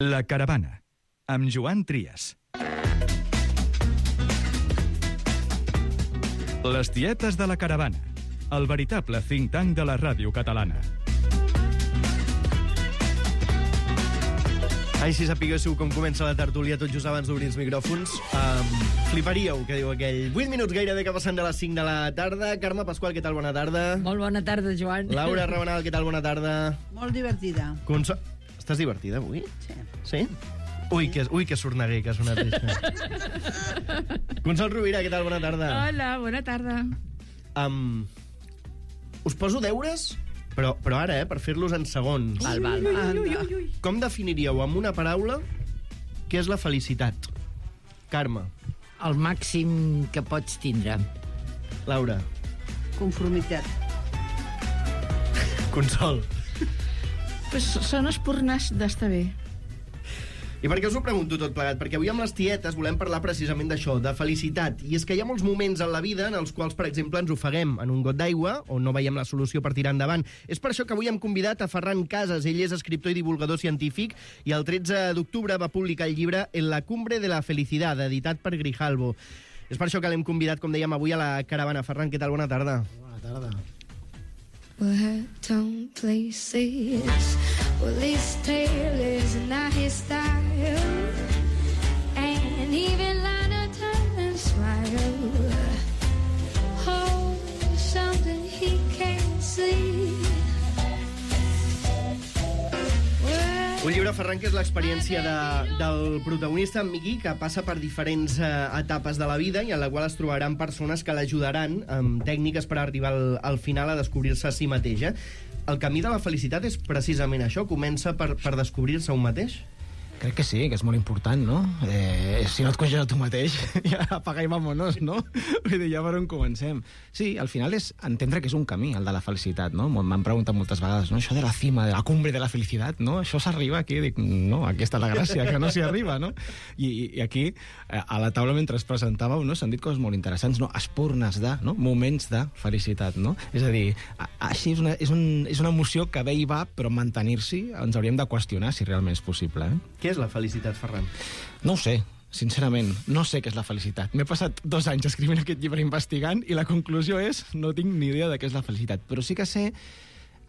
La Caravana, amb Joan Trias. Les tietes de la Caravana, el veritable think tank de la ràdio catalana. Ai, si sapiguéssiu com comença la tertúlia tot just abans d'obrir els micròfons, fliparíeu, que diu aquell. 8 minuts gairebé que passen de les 5 de la tarda. Carme Pasqual, què tal? Bona tarda. Molt bona tarda, Joan. Laura Rabanal, què tal? Bona tarda. Molt divertida. Estàs divertida avui? Sí. Sí? Ui, que sorneguer que ha sonat això. Consol Rovira, què tal? Bona tarda. Hola, bona tarda. Us poso deures, però ara, per fer-los en segons. Val. Com definiríeu amb una paraula què és la felicitat? Carme. El màxim que pots tindre. Laura. Conformitat. Consol. Pues són espurnes d'estar bé. I per què us ho pregunto tot plegat? Perquè avui amb les tietes volem parlar precisament d'això, de felicitat. I és que hi ha molts moments en la vida en els quals, per exemple, ens ofeguem en un got d'aigua o no veiem la solució per tirar endavant. És per això que avui hem convidat a Ferran Casas. Ell és escriptor i divulgador científic i el 13 d'octubre va publicar el llibre En la cumbre de la felicidad, editat per Grijalbo. És per això que l'hem convidat, com dèiem, avui a la Caravana. Ferran, què tal? Bona tarda. Bona tarda. We're down places where this tale is not his style, and even Lana turns smile. Oh, something he can't see. Un llibre, Ferran, que és l'experiència del protagonista, en Miqui, que passa per diferents etapes de la vida i en la qual es trobaran persones que l'ajudaran amb tècniques per arribar al final a descobrir-se a si mateix. El camí de la felicitat és precisament això, comença per descobrir-se un mateix? Crec que sí, que és molt important, no? Si no et coneixes a tu mateix, ja apaga i vámonos, no? Vull dir, ja per on comencem. Sí, al final és entendre que és un camí, el de la felicitat, no? M'han preguntat moltes vegades, no? Això de la cima, de la cumbre de la felicitat, no? Això s'arriba aquí? Dic, no, aquí està la gràcia, que no s'hi arriba, no? I aquí, a la taula, mentre es presentàveu, no? S'han dit coses molt interessants, no? Espurnes de, no? Moments de felicitat, no? És a dir, així és una emoció que ve i va, però mantenir-s'hi ens hauríem de qüestionar si realment és possible, Què és la felicitat, Ferran? No ho sé, sincerament, no sé què és la felicitat. M'he passat 2 anys escrivint aquest llibre investigant i la conclusió és no tinc ni idea de què és la felicitat. Però sí que sé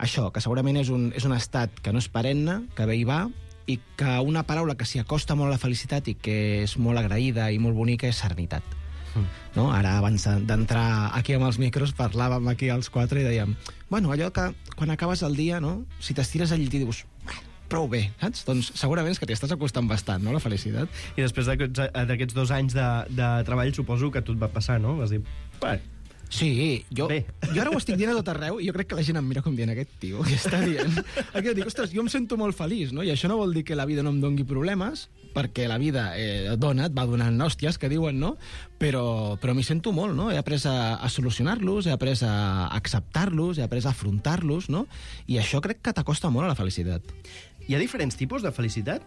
això, que segurament és un estat que no és perenne, que ve i va, i que una paraula que s'hi acosta molt a la felicitat i que és molt agraïda i molt bonica és serenitat. No? Ara, abans d'entrar aquí amb els micros, parlàvem aquí els 4 i dèiem, bueno, allò que quan acabes el dia, no? Si t'estires al llit i dius, prou bé, saps? Doncs segurament és que t'hi estàs acostant bastant, no?, la felicitat. I després d'aquests 2 anys de treball suposo que a tu et va passar, no? Vas dir, sí, jo ara ho estic dient a tot arreu i jo crec que la gent em mira com dient aquest tio que està dient. Aquí dic, ostres, jo em sento molt feliç, no? I això no vol dir que la vida no em doni problemes, perquè la vida et va donant hòsties, que diuen, no? Però m'hi sento molt, no? He après a solucionar-los, he après a acceptar-los, he après a afrontar-los, no? I això crec que t'acosta molt a la felicitat. Hi ha diferents tipus de felicitat?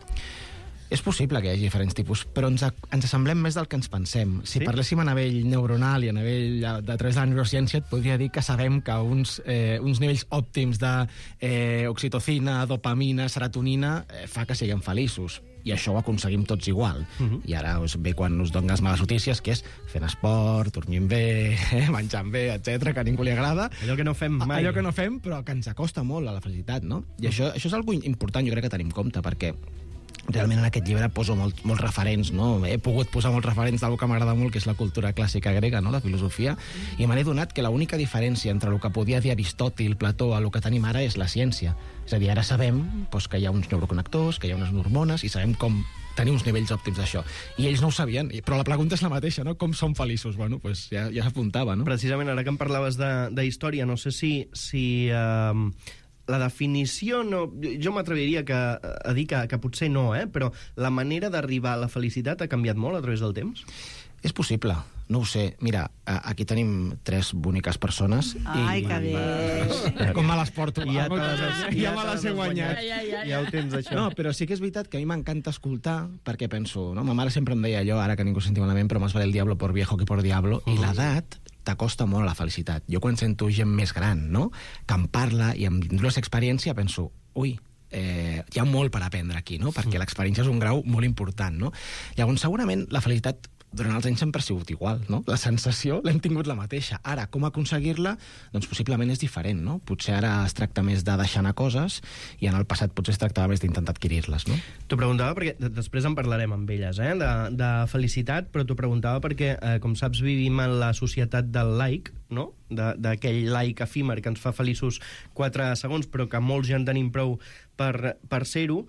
És possible que hi hagi diferents tipus, però ens assemblem més del que ens pensem. Si parléssim a nivell neuronal i a nivell de través de la neurociència, et podria dir que sabem que uns nivells òptims d'oxitocina, dopamina, serotonina fa que siguem feliços. I això ho aconseguim tots igual. I ara ve quan us donen les males notícies, que és fent esport, dormint bé, menjant bé, etc, que a ningú li agrada. Allò que no fem mai. Allò que no fem, però que ens acosta molt a la felicitat, no? I això és algo important, jo crec que tenim en compte, perquè realment en aquest llibre poso molts referents, no? He pogut posar molts referents d'alguna que m'agrada molt, que és la cultura clàssica grega, no?, la filosofia, i me n'he donat que l'única diferència entre el que podia dir Aristòtil, Plató, a el que tenim ara és la ciència. És a dir, ara sabem que hi ha uns neuroconnectors, que hi ha unes hormones, i sabem com tenir uns nivells òptims d'això. I ells no ho sabien, però la pregunta és la mateixa, no? Com som feliços? Bueno, doncs ja s'apuntava, no? Precisament, ara que em parlaves de història, no sé si la definició, no, jo m'atreviria a dir que potser no, però la manera d'arribar a la felicitat ha canviat molt a través del temps? És possible, no ho sé. Mira, aquí tenim 3 boniques persones. Ai, que bé. Com me les porto? Ja me les he guanyat. Ja ho tens, això. No, però sí que és veritat que a mi m'encanta escoltar, perquè penso, no? Ma mare sempre em deia allò, ara que ningú sentiu malament, però más vale el diablo por viejo que por diablo, i l'edat t'acosta molt a la felicitat. Jo quan sento gent més gran, no?, que em parla i em diu l'experiència, penso, ui, hi ha molt per aprendre aquí, no? Perquè l'experiència és un grau molt important, no? Llavors, segurament, la felicitat durant els anys sempre ha sigut igual, no? La sensació l'hem tingut la mateixa. Ara, com aconseguir-la? Doncs possiblement és diferent, no? Potser ara es tracta més de deixar anar coses i en el passat potser es tractava més d'intentar adquirir-les, no? T'ho preguntava perquè després en parlarem amb elles, de felicitat, però t'ho preguntava perquè, com saps, vivim en la societat del like, no? D'aquell like efímer que ens fa feliços 4 segons, però que molts ja en tenim prou per ser-ho,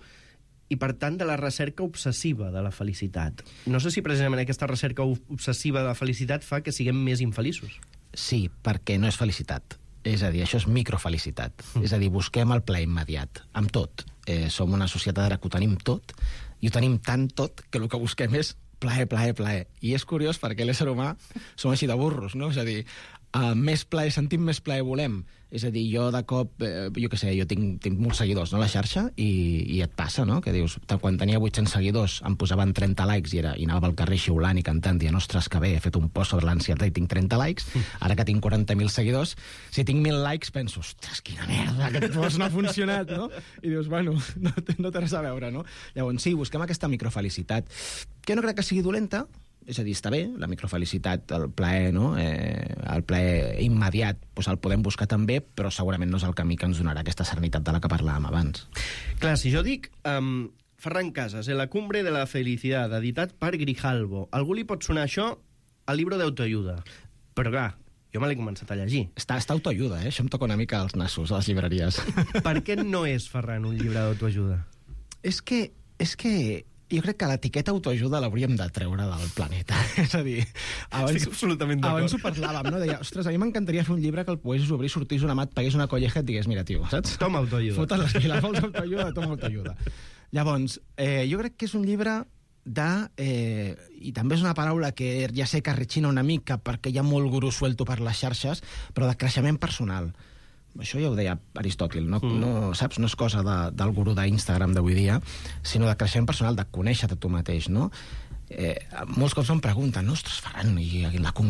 i, per tant, de la recerca obsessiva de la felicitat. No sé si precisament aquesta recerca obsessiva de la felicitat fa que siguem més infeliços. Sí, perquè no és felicitat. És a dir, això és microfelicitat. És a dir, busquem el plaer immediat, amb tot. Som una societat ara que ho tenim tot, i ho tenim tant tot que el que busquem és plaer, plaer, plaer. I és curiós perquè l'ésser humà som així de burros, no? És a dir, més plaer, sentim més plaer volem. És a dir, jo de cop, jo què sé, jo tinc molts seguidors, no?, a la xarxa, i et passa, no?, que dius, quan tenia 800 seguidors em posaven 30 likes i anava pel carrer xiulant i cantant, dient, ostres, que bé, he fet un post sobre l'ansietat i tinc 30 likes, ara que tinc 40.000 seguidors, si tinc 1.000 likes penso, ostres, quina merda, aquest post no ha funcionat, no? I dius, bueno, no té res a veure, no? Llavors, sí, busquem aquesta microfelicitat, que no crec que sigui dolenta. És a dir, està bé, la microfelicitat, el plaer, no? El plaer immediat, doncs el podem buscar també, però segurament no és el camí que ens donarà aquesta serenitat de la que parlàvem abans. Clar, si jo dic Ferran Casas, La cumbre de la felicidad, editat per Grijalbo, algú li pot sonar això al llibre d'autoajuda. Però clar, jo me l'he començat a llegir. Està autoajuda, Això em toca una mica als nassos, a les llibreries. Per què no és, Ferran, un llibre d'autoajuda? És que jo crec que l'etiqueta autoajuda l'hauríem de treure del planeta. És a dir, estic absolutament d'acord. Abans ho parlàvem, no? Deia, ostres, a mi m'encantaria fer un llibre que el poguessis obrir, sortís una mat, pagués una colleja i et digués, mira, tio, saps? Toma autoajuda. Fotes les piles, vols autoajuda, toma autoajuda. Llavors, jo crec que és un llibre i també és una paraula que ja sé que rechina una mica perquè hi ha molt gurú suelto per les xarxes, però de creixement personal. Això ja ho deia Aristòtil, no, saps? No és cosa del gurú d'Instagram d'avui dia, sinó de creixement personal, de conèixer-te tu mateix, no? Molts cops em pregunten, ostres, Ferran,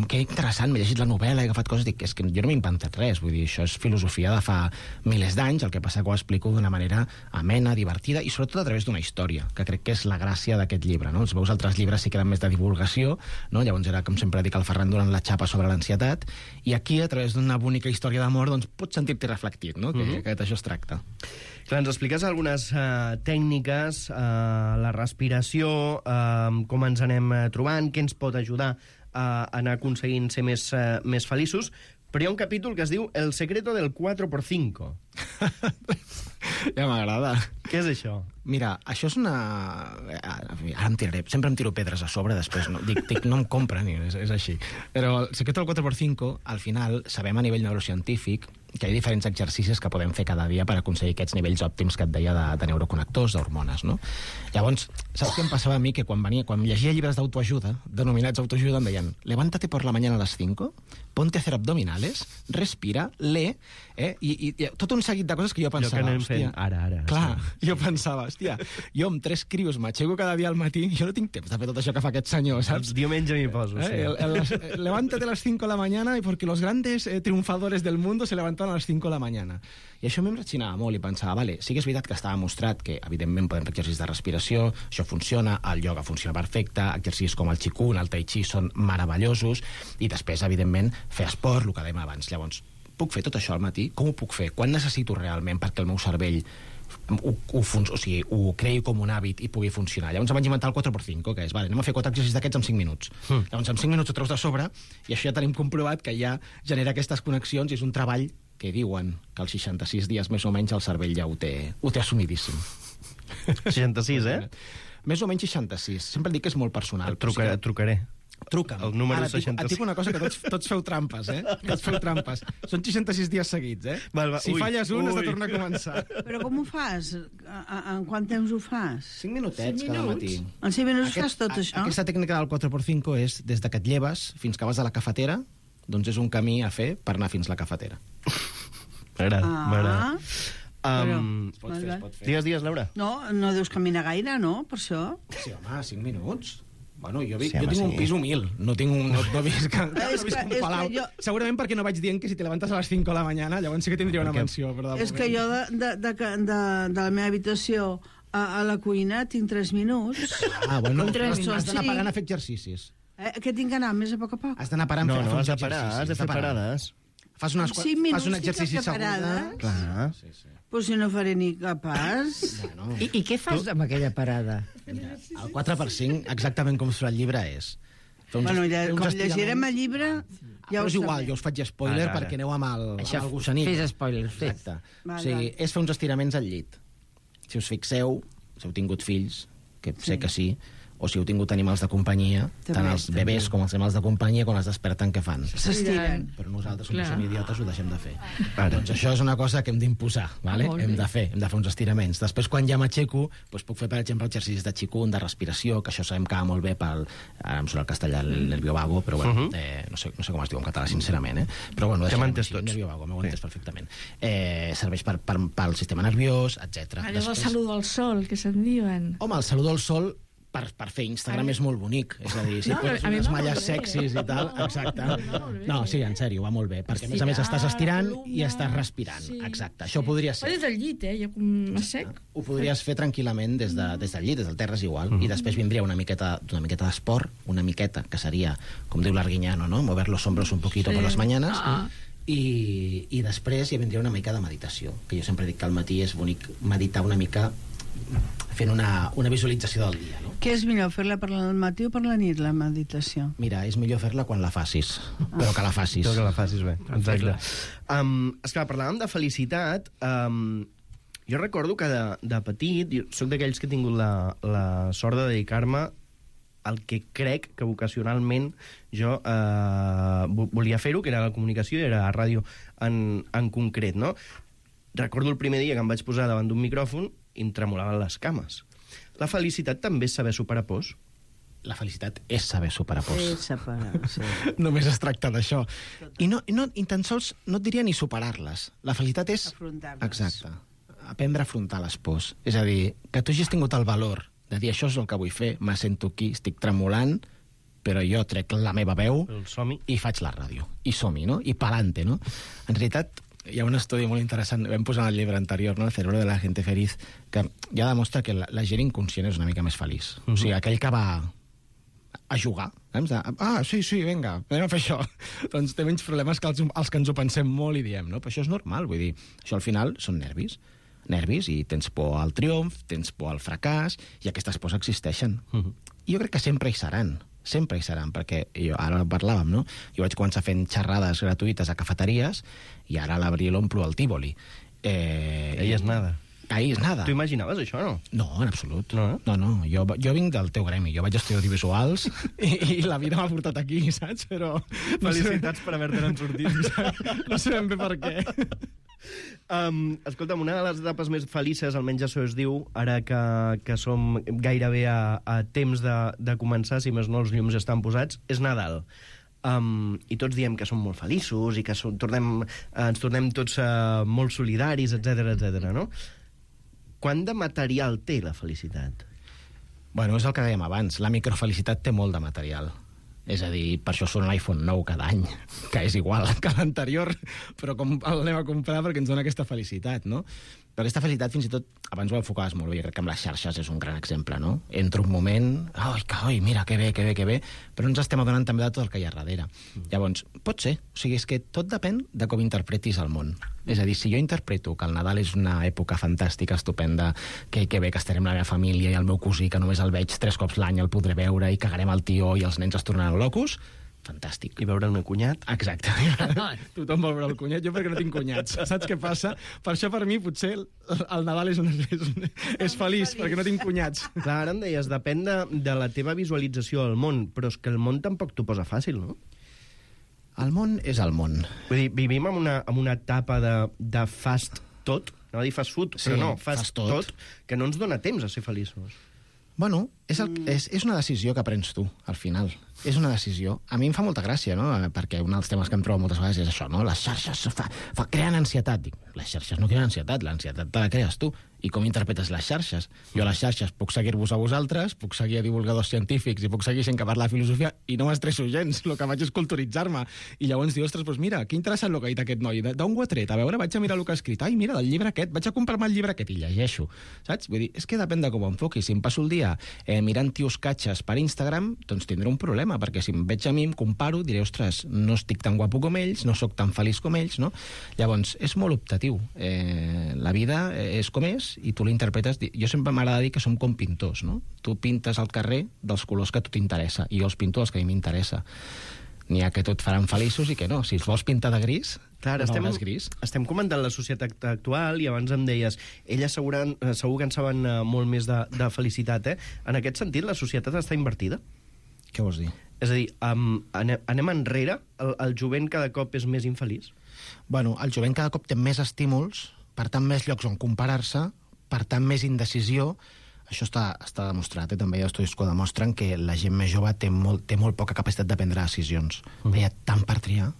que interessant, m'he llegit la novel·la, he agafat coses, dic, és que jo no m'he inventat res, vull dir, això és filosofia de fa milers d'anys, el que passa que ho explico d'una manera amena, divertida, i sobretot a través d'una història, que crec que és la gràcia d'aquest llibre, no? Els meus altres llibres sí que eren més de divulgació, no? Llavors era, com sempre dic, el Ferran donant la xapa sobre l'ansietat, i aquí, a través d'una bonica història d'amor, doncs pots sentir-t'hi reflectit, no? Que d'això es tracta. Clar, ens expliques algunes tècniques, la respiració, com ens anem trobant, què ens pot ajudar a anar aconseguint ser més feliços, però hi ha un capítol que es diu El secreto del 4x5. Ja m'agrada. Què és això? Mira, això és una... Ara sempre em tiro pedres a sobre, després no, dic no em compren, és així. Però el secreto del 4x5, al final, sabem a nivell neurocientífic que hi ha diferents exercicis que podem fer cada dia per aconseguir aquests nivells òptims que et deia de neuroconnectors, d'hormones, no? Llavors, saps què em passava a mi? Que quan llegia llibres d'autoajuda, denominats autoajuda, em deien, levántate por la mañana a las 5, ponte a hacer abdominales, respira, lee, i tot un seguit de coses que jo pensava... Jo que anem fent ara. Clar, jo pensava, hòstia, jo amb 3 crios m'aixeco cada dia al matí, jo no tinc temps de fer tot això que fa aquest senyor, saps? El diumenge m'hi poso, sí. Levántate a las 5 de la mañana y porque los grandes triunfadores del mundo se levantan a les 5 de la mañana. I això a mi em ratxinava molt i pensava, vale, sí que és veritat que estava mostrat que, evidentment, podem fer exercicis de respiració, això funciona, el ioga funciona perfecte, exercicis com el qigong, el tai chi són meravellosos, i després, evidentment, fer esport, el que dèiem abans. Llavors, puc fer tot això al matí? Com ho puc fer? Quan necessito realment perquè el meu cervell ho creï com un hàbit i pugui funcionar? Llavors em vaig inventar el 4x5, que és, vale, anem a fer 4 exercicis d'aquests en 5 minuts. Llavors en 5 minuts ho treus de sobre i això ja tenim comprovat que ja genera aquestes connexions i és un treball que diuen que als 66 dies més o menys el cervell ja ho té assumidíssim. 66, Més o menys 66. Sempre dic que és molt personal. Et trucaré. Truca'm. El número Ara, 66. et dic una cosa, que tots feu trampes, Tots feu trampes. Són 66 dies seguits, Va. Si falles un, has de tornar a començar. Però com ho fas? En quant temps ho fas? 5 minutets cada matí. En 5 minuts fas tot això? Aquesta tècnica del 4x5 és des que et lleves fins que vas a la cafetera, doncs és un camí a fer per anar fins a la cafetera. M'agrada. Es pot fer. Digues, Laura. No deus caminar gaire, no? Per això? Sí, home, 5 minuts. Bueno, jo tinc un pis humil, no tinc un... No visc un palau. Segurament perquè no vaig dient que si te levantes a les 5 de la mañana, llavors sí que tindria una mansió. És que jo de la meva habitació a la cuina tinc 3 minuts. Bueno, has d'anar parant a fer exercicis. Que tinc que anar més a poc a poc? Has d'anar parant a fer exercicis. No, has de parar, has de fer parades. Fas un exercici segur. Clar. Però si no faré ni capaç. I què fas amb aquella parada? Mira, el 4x5, exactament com surt el llibre, és... Bueno, com llegirem el llibre, ja ho és igual, jo us faig spoiler perquè aneu amb el gossanit. Fes spoiler, fes. Exacte. O sigui, és fer uns estiraments al llit. Si us fixeu, si heu tingut fills, que sé que sí, o si heu tingut animals de companyia, tant els bebès com els animals de companyia, quan es desperten, què fan? S'estiren. Però nosaltres, com som idiotes, ho deixem de fer. Doncs això és una cosa que hem d'imposar, ¿vale? Hem de fer uns estiraments. Després, quan ja m'aixeco, doncs puc fer, per exemple, exercicis de qigong, de respiració, que això sabem que va molt bé pel... Ara em surt el castellà, el nervio vago, però bueno, no sé com es diu en català, sincerament, però bueno, que m'entès tots. Nervio vago, m'ho entès perfectament. Serveix pel sistema nerviós, etc. Allò del saludo al sol, que se'n diuen. Home, el saludo al sol per fer Instagram és molt bonic. És a dir, si poses unes malles sexis i tal... Exacte. No, sí, en sèrio, va molt bé. Perquè, a més, estàs estirant i estàs respirant. Exacte. Això podria ser... Des del llit, ja com a sec. Ho podries fer tranquil·lament des del llit, des del terra és igual. I després vindria una miqueta d'esport, una miqueta, que seria, com diu l'Arguiñano, ¿no? Mover los hombros un poquito por las mañanas. I després hi vindria una mica de meditació, que jo sempre dic que al matí és bonic meditar una mica fent una visualització del dia, no? Què és millor, fer-la per al matí o per la nit, la meditació? Mira, és millor fer-la quan la facis, però que la facis. Però que la facis bé, exacte. Esclar, parlàvem de felicitat. Jo recordo que de petit, jo soc d'aquells que he tingut la sort de dedicar-me al que crec que vocacionalment jo volia fer-ho, que era la comunicació i era la ràdio en concret, no? Recordo el primer dia que em vaig posar davant d'un micròfon i em tremolaven les cames. La felicitat també és saber superar pors? La felicitat és saber superar pors. Sí. Només es tracta d'això. I tan sols no et diria ni superar-les. La felicitat és... afrontar-les. Exacte. Aprendre a afrontar les pors. És a dir, que tu hagis tingut el valor de dir això és el que vull fer, me sento aquí, estic tremolant, però jo trec la meva veu i faig la ràdio. I som-hi, no? I pa'lante, no? En realitat, hi ha un estudi molt interessant, vam posar en el llibre anterior, no? El cerebro de la gente feliz, que ja demostra que la gent inconscient és una mica més feliç. O sigui, aquell que va a jugar, sí, vinga, anem a fer això. Doncs té menys problemes que els que ens ho pensem molt i diem, no? Però això és normal, vull dir, això al final són nervis, i tens por al triomf, tens por al fracàs, i aquestes pors existeixen. I jo crec que sempre hi seran, perquè ara parlàvem, no? Jo vaig començar fent xerrades gratuïtes a cafeteries i ara a l'abril omplo el Tívoli. Ahí és nada. Ahí és nada. Tu imaginaves això, no? No, en absolut. No? No. Jo vinc del teu gremi. Jo vaig estudiar audiovisuals i la vida m'ha portat aquí, saps? Però... Felicitats per haver-te'n sortit. No sé ben bé per què. Escolta'm, una de les etapes més felices, almenys això es diu, ara que som gairebé a temps de començar, si més no els llums estan posats, és Nadal. I tots diem que som molt feliços i que ens tornem tots molt solidaris, etc, no? Quant de material té la felicitat? Bueno, és el que dèiem abans, la microfelicitat té molt de material. És a dir, per això surt l'iPhone 9 cada any, que és igual que l'anterior, però com l'anem a comprar perquè ens dona aquesta felicitat, no? Però aquesta felicitat, fins i tot, abans ho enfocaves molt bé, crec que amb les xarxes és un gran exemple, no? Entro un moment, mira, que bé, però ens estem adonant també de tot el que hi ha darrere. Llavors, pot ser, o sigui, és que tot depèn de com interpretis el món. És a dir, si jo interpreto que el Nadal és una època fantàstica, estupenda, que bé que estarem la meva família i el meu cosí, que només el veig 3 cops l'any, el podré veure, i cagarem el tió i els nens es tornaran locos, fantàstic. I veure el meu cunyat? Exacte. Tothom vol veure el cunyat. Jo perquè no tinc cunyats. Saps què passa? Per això per mi potser el Nadal és feliç, perquè no tinc cunyats. Clar, ara em deies, depèn de la teva visualització del món, però és que el món tampoc t'ho posa fàcil, no? El món és el món. Vull dir, vivim en una etapa de fast tot, no dir fast food, però no, fast tot, que no ens dona temps a ser feliços. Bueno, és una decisió que prens tu, al final. És una decisió. A mi em fa molta gràcia, no? Perquè un dels temes que em trobo moltes vegades és això, no? Les xarxes creen ansietat. Dic, les xarxes no creen ansietat, l'ansietat te la crees tu. I com interpretes les xarxes? Jo a les xarxes puc seguir-vos a vosaltres, puc seguir a divulgadors científics i puc seguir gent que parla de filosofia i no m'estresso gens, el que faig és culturitzar-me. I llavors dius, ostres, doncs mira, que interessant el que ha dit aquest noi, d'on ho ha tret? A veure, vaig a mirar el que ha escrit. Ai, mira, del llibre aquest, vaig a comprar-me el llibre aquest i llegeixo, saps? Vull dir, és que depèn de com ho enfoquis. Si em passo el dia mirant tios catxes per Instagram, doncs tindré un problema, perquè si em veig a mi, em comparo, diré, ostres, no estic tan guapo com ells, no sóc tan feliç com ells, no? Llavors, és molt optatiu. La vida és com és i tu l'interpretes. Jo sempre m'agrada dir que som com pintors, no? Tu pintes al carrer dels colors que a tu t'interessa i jo els pinto els que a mi m'interessa. N'hi ha que tot faran feliços i que no. Si els vols pintar de gris, clar, gris. Estem comentant la societat actual i abans em deies, elles segur que en saben molt més de felicitat, eh? En aquest sentit, la societat està invertida? Què vols dir? És a dir, anem enrere? El jovent cada cop és més infeliç? Bueno, el jovent cada cop té més estímuls, per tant més llocs on comparar-se, per tant més indecisió. Això està demostrat, també hi ha estudis que demostren que la gent més jove té molt poca capacitat de prendre decisions. Hi ha tant per triar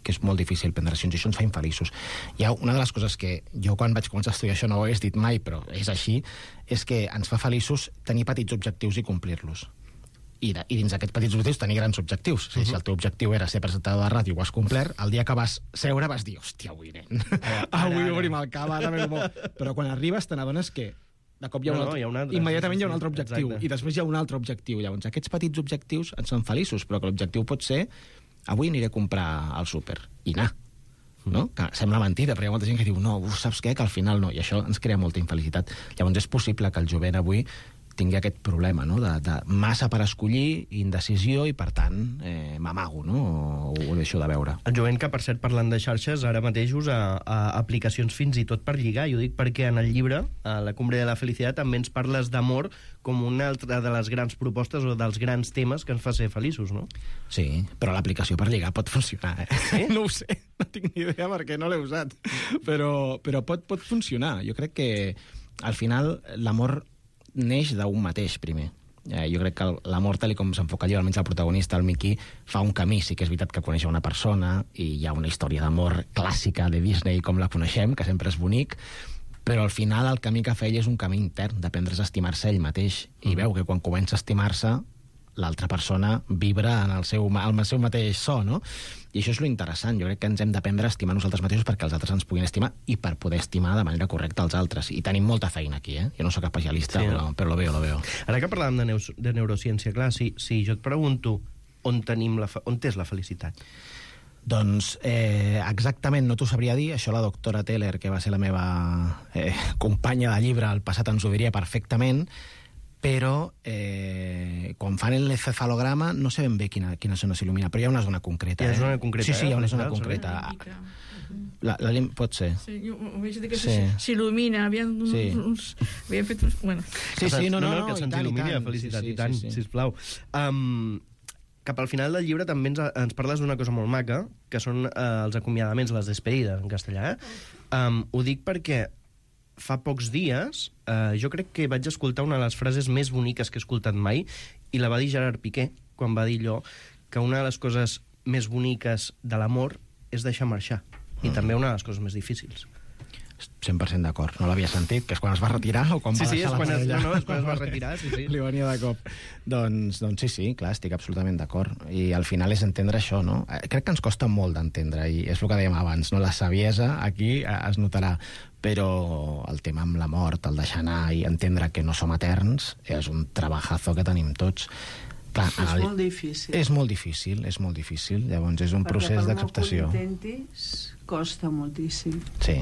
que és molt difícil prendre decisions i això ens fa infeliços. Hi ha una de les coses que jo quan vaig començar a estudiar això no ho hagués dit mai, però és així, és que ens fa feliços tenir petits objectius i complir-los. I dins d'aquests petits objectius tenir grans objectius. Si el teu objectiu era ser presentador de ràdio i ho has complert, el dia que vas seure vas dir, hòstia, avui, nen, avui obrim el cava, ara ve bo. Però quan arribes te n'adones que de cop hi ha un altre, immediatament hi ha un altre objectiu, i després hi ha un altre objectiu. Llavors, aquests petits objectius ens fan feliços, però que l'objectiu pot ser avui aniré a comprar al súper, i anar. No? Que sembla mentida, però hi ha molta gent que diu no, saps què? Que al final no, i això ens crea molta infelicitat. Llavors és possible que el jovent avui tingui aquest problema, no? de massa per escollir, indecisió, i per tant m'amago, no? O ho deixo de veure. El jovent que, per cert, parlant de xarxes, ara mateix usa aplicacions fins i tot per lligar. Jo dic perquè en el llibre, a La cumbre de la felicitat, també ens parles d'amor com una altra de les grans propostes o dels grans temes que ens fa ser feliços, no? Sí, però l'aplicació per lligar pot funcionar, eh? Sí? No ho sé, no tinc ni idea perquè no l'he usat, però pot funcionar. Jo crec que al final l'amor neix d'un mateix, primer. Jo crec que l'amor, tal com s'enfoca allà, almenys el protagonista, el Mickey, fa un camí. Sí que és veritat que coneix una persona i hi ha una història d'amor clàssica de Disney com la coneixem, que sempre és bonic, però al final el camí que fa ell és un camí intern, d'aprendre's a estimar-se ell mateix. I veu que quan comença a estimar-se, l'altra persona vibra en el seu mateix so, no? I això és lo interessant. Jo crec que ens hem d'aprendre a estimar nosaltres mateixos perquè els altres ens puguin estimar i per poder estimar de manera correcta els altres. I tenim molta feina aquí, eh? Jo no soc especialista, sí, però lo veo. Ara que parlàvem de neurociència, clar, si jo et pregunto on és la felicitat? Doncs exactament no t'ho sabria dir. Això la doctora Teller, que va ser la meva companya de llibre al passat, ens ho diria perfectament, però quan fan l'encefalograma no sé ben bé quina zona s'il·lumina, però hi ha una zona concreta. Hi ha una zona concreta? Sí, hi ha una zona concreta. Pot ser. Sí, jo ho veig dir que s'il·lumina, havien fet uns... Bueno. Sí, no, que se'ns il·lumini la felicitat, i tant, sisplau. Cap al final del llibre també ens parles d'una cosa molt maca, que són els acomiadaments, les despedides, en castellà. Ho dic perquè fa pocs dies jo crec que vaig escoltar una de les frases més boniques que he escoltat mai, i la va dir Gerard Piqué, quan va dir allò que una de les coses més boniques de l'amor és deixar marxar, i també una de les coses més difícils. 100% d'acord. No l'havia sentit, que és quan es va retirar o quan va deixar la parella. Sí, és quan es va retirar, sí. Li venia de cop. Doncs sí, clar, estic absolutament d'acord. I al final és entendre això, no? Crec que ens costa molt d'entendre, i és el que dèiem abans, no? La saviesa aquí es notarà, però el tema amb la mort, el deixar anar i entendre que no som eterns, és un trabajazo que tenim tots. Clar, és molt difícil. És molt difícil. Llavors és un procés d'acceptació. Perquè per molt que ho intentis, costa moltíssim. Sí.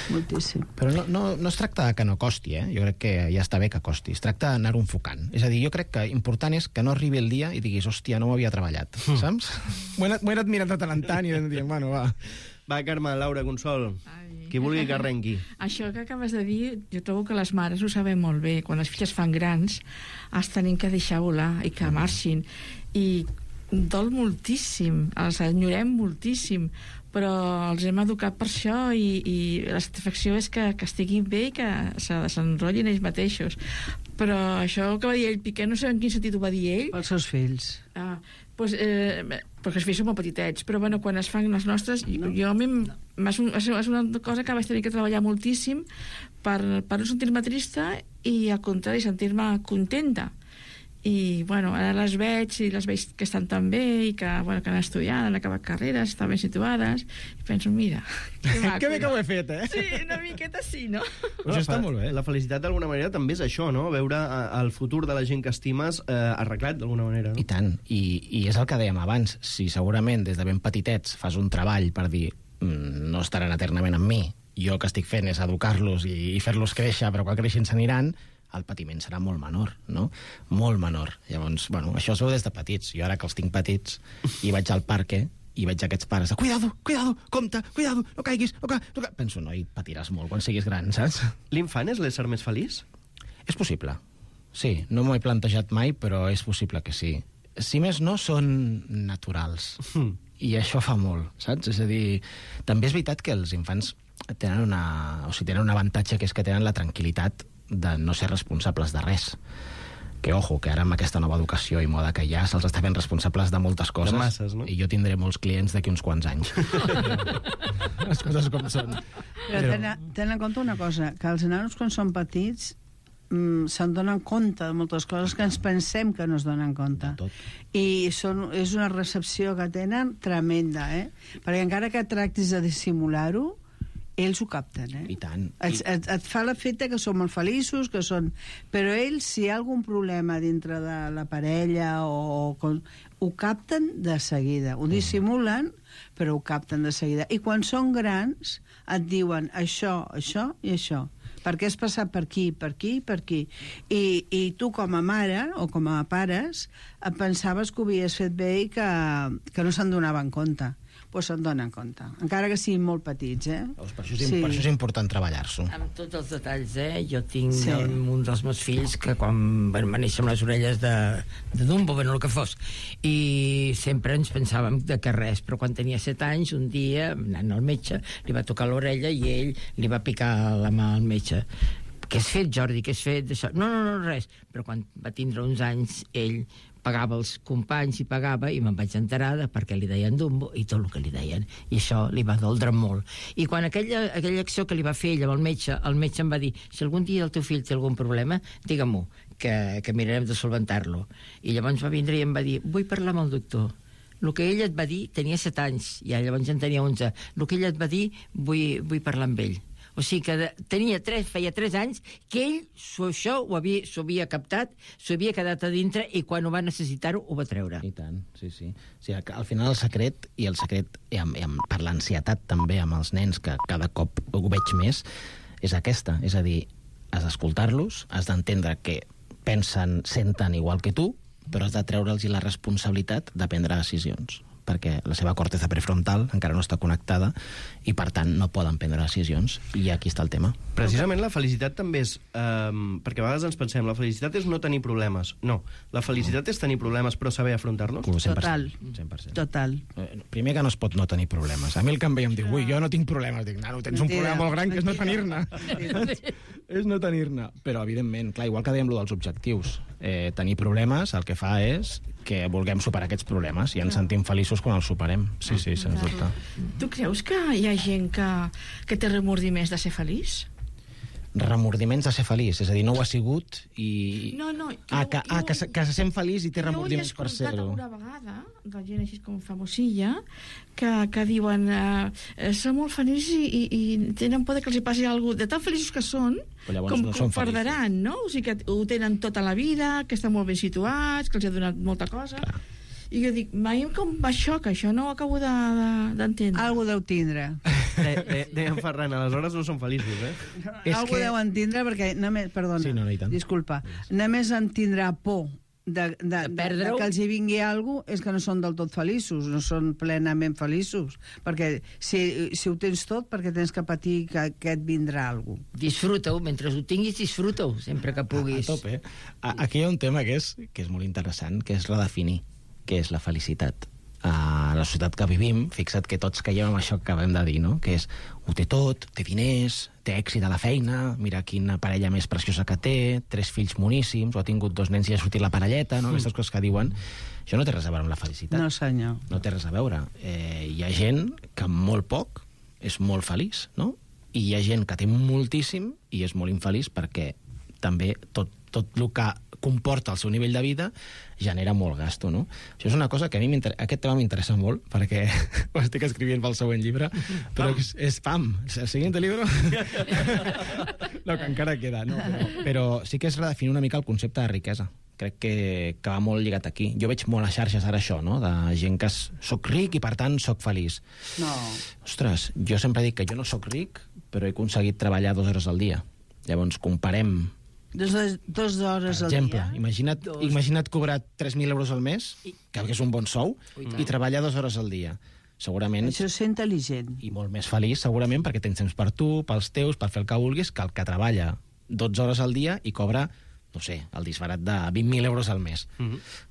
Moltíssim. Però no es tracta que no costi, eh? Jo crec que ja està bé que costi. Es tracta d'anar-ho enfocant. És a dir, jo crec que important és que no arribi el dia i diguis, hòstia, no ho havia treballat, saps? M'ho he anat mirant de tant en tant i dient, bueno, va. Va, Carme, Laura, Consol, qui vulgui que arrenqui. Això que acabes de dir, jo trobo que les mares ho saben molt bé. Quan les filles fan grans, es tenen que deixar volar i que marxin. I dol moltíssim, els enyorem moltíssim, però els hem educat per això, i la satisfacció és que estiguin bé i que se desenrotllin ells mateixos. Però això que va dir ell, Piqué, no sé en quin sentit ho va dir ell. Pels seus fills. Perquè els fills són molt petitets, però bueno, quan es fan les nostres, és una cosa que vaig tenir que treballar moltíssim, per no sentir-me trista i, al contrari, sentir-me contenta. I, bueno, ara les veig que estan tan bé i que han estudiat, han acabat carreres, estan ben situades, i penso, mira, que maco. Que bé que ho he fet, Sí, una miqueta sí, no? Això està molt bé. La felicitat, d'alguna manera, també és això, no? Veure el futur de la gent que estimes arreglat, d'alguna manera. I tant, i és el que dèiem abans. Si segurament des de ben petitets fas un treball per dir no estaran eternament amb mi, jo el que estic fent és educar-los i fer-los créixer, però quan creixin s'aniran, el patiment serà molt menor, no? Molt menor. Llavors, bueno, això es veu des de petits. Jo ara que els tinc petits i vaig al parque i veig aquests pares de cuidado, compte, cuidado, no caiguis, no caiguis. Penso, noi, patiràs molt quan siguis gran, saps? L'infant és l'ésser més feliç? És possible. Sí, no m'ho he plantejat mai, però és possible que sí. Si més no, són naturals. I això fa molt, saps? És a dir, també és veritat que els infants tenen un avantatge, que és que tenen la tranquil·litat de no ser responsables de res. Que, ojo, que ara amb aquesta nova educació i moda que hi ha, se'ls està fent responsables de moltes coses. De masses, no? I jo tindré molts clients d'aquí uns quants anys. Les coses com són. Però ten en compte una cosa, que els nanos quan són petits se'n donen compte de moltes coses que ens pensem que no es donen compte. I és una recepció que tenen tremenda, perquè encara que tractis de dissimular-ho, ells ho capten, I tant. Et fa l'efecte que són molt feliços, però ells, si hi ha algun problema dintre de la parella ho capten de seguida. Ho dissimulen, però ho capten de seguida. I quan són grans et diuen això, això i això, perquè has passat per aquí, per aquí, per aquí. I tu, com a mare o com a pares, et pensaves que ho havies fet bé i que no se'n donaven compte. Doncs se'n donen compte, encara que siguin molt petits, Per això és important treballar-s'ho. Amb tots els detalls, Jo tinc un dels meus fills que quan va néixer amb les orelles de Dumbo, bueno, el que fos, i sempre ens pensàvem que res, però quan tenia 7 anys, un dia, anant al metge, li va tocar l'orella i ell li va picar la mà al metge. Què has fet, Jordi? Què has fet d'això? No, res. Però quan va tindre uns anys, ell pagava els companys i pagava, i me'n vaig enterar de per què li deien Dumbo i tot el que li deien, i això li va doldre molt. I quan aquella acció que li va fer ell amb el metge em va dir, si algun dia el teu fill té algun problema, digue-m'ho, que mirarem de solventar-lo. I llavors va vindre i em va dir, vull parlar amb el doctor. El que ell et va dir, tenia 7 anys, i llavors en tenia 11, el que ell et va dir, vull parlar amb ell. O sigui que feia 3 anys que ell això s'ho havia captat, s'ho havia quedat a dintre, i quan ho va necessitar-ho ho va treure. I tant, sí. O sigui, al final el secret per l'ansietat també amb els nens, que cada cop ho veig més, és aquesta. És a dir, has d'escoltar-los, has d'entendre que pensen, senten igual que tu, però has de treure'ls la responsabilitat de prendre decisions, perquè la seva corteza prefrontal encara no està connectada i, per tant, no poden prendre decisions. I aquí està el tema. Precisament la felicitat també és... perquè a vegades ens pensem, la felicitat és no tenir problemes. No, la felicitat és tenir problemes però saber afrontar-los. 100%. Total. Primer que no es pot no tenir problemes. A mi el que em veia em diu, ui, jo no tinc problemes. Dic, nano, tens un problema molt gran, que és no tenir-ne. És no tenir-ne. Però, evidentment, clar, igual que dèiem lo dels objectius, tenir problemes el que fa és que vulguem superar aquests problemes i ens sentim feliços quan els superem. Sí, sens dubte. Tu creus que hi ha gent que té remordiments de ser feliç? Remordiments de ser feliç, és a dir, no ho ha sigut i... No. Que se sent feliç i té remordiments per ser-ho. Jo he escoltat una vegada, de gent així com famosilla, que diuen són molt feliços i tenen por que els hi passi alguna cosa. De tan feliços que són, com perdran, no? O sigui que ho tenen tota la vida, que estan molt ben situats, que els ha donat molta cosa. Clar. I jo dic, mai com va això, que això no ho acabo d'entendre. Algo deu tindre. Deien Ferran, aleshores no són feliços, Algo deu entendre perquè, disculpa, només en tindrà por de que els hi vingui alguna cosa, és que no són del tot feliços, no són plenament feliços, perquè si ho tens tot, perquè tens que patir que et vindrà alguna cosa. Disfruta-ho, mentre ho tinguis, disfruta-ho, sempre que puguis. A tope. Aquí hi ha un tema que és molt interessant, que és redefinir què és la felicitat. A la societat que vivim, fixa't que tots caiem amb això que acabem de dir, no? Que és, ho té tot, té diners, té èxit a la feina, mira quina parella més preciosa que té, 3 fills moníssims, o ha tingut 2 nens i ha sortit la parelleta, no? Aquestes coses que diuen. Això no té res a veure amb la felicitat. No, senyor. No té res a veure. Hi ha gent que amb molt poc és molt feliç, no? I hi ha gent que té moltíssim i és molt infeliç perquè també tot el que comporta el seu nivell de vida genera molt gasto, no? Això és una cosa que a mi aquest tema m'interessa molt, perquè ho estic escrivint pel següent llibre, però és pam, el siguiente libro... No, que encara queda, no? Però sí que és redefinir una mica el concepte de riquesa. Crec que va molt lligat aquí. Jo veig molt a xarxes ara això, no? De gent que soc ric i, per tant, soc feliç. No. Ostres, jo sempre dic que jo no soc ric, però he aconseguit treballar 2 hores al dia. Llavors, comparem... 2 hores al exemple, dia? imagina't cobrar 3.000 euros al mes, que és un bon sou, i treballar 2 hores al dia. Segurament... Això és ser intel·ligent. I molt més feliç, segurament, perquè tens temps per tu, pels teus, per fer el que vulguis, que el que treballa 12 hores al dia i cobra, no sé, el disbarat de 20.000 euros al mes.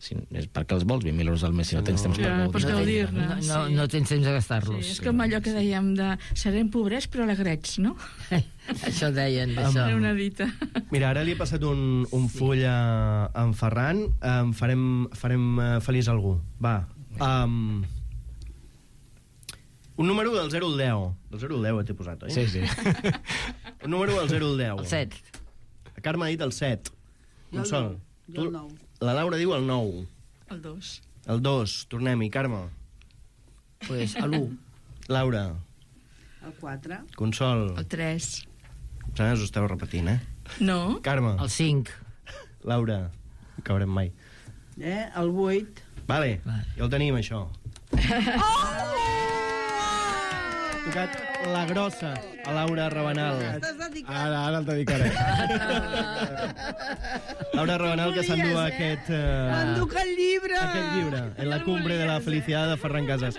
És perquè els vols 20.000 euros al mes si no tens temps per gaudir-ne. No tens temps de gastar-los. Sí, és com allò que dèiem de serem pobrets però alegrets, no? Això deien, d'això. Era una dita. Mira, ara li he passat un full a en Ferran. Farem feliç algú. Va. Un número del 0 al 10. Del 0 al 10 t'he posat, oi? Sí, sí. Un número del 0 al 10. El 7. La Carme ha dit el 7. Jo el 9. La Laura diu el 9. El 2. El 2. Tornem-hi, Carme. Pues l'1. Laura. El 4. Consol. El 3. Us esteu repetint, eh? No? Carme. El 5. Laura. No caurem mai. El 8. Vale. Ja el tenim, això. Tocat la grossa a Laura Rabanal. Ara el dedicaré. Laura Rabanal, que s'endú aquest... M'enduc el llibre! Aquest llibre, En la cumbre de la felicitat de Ferran Casas.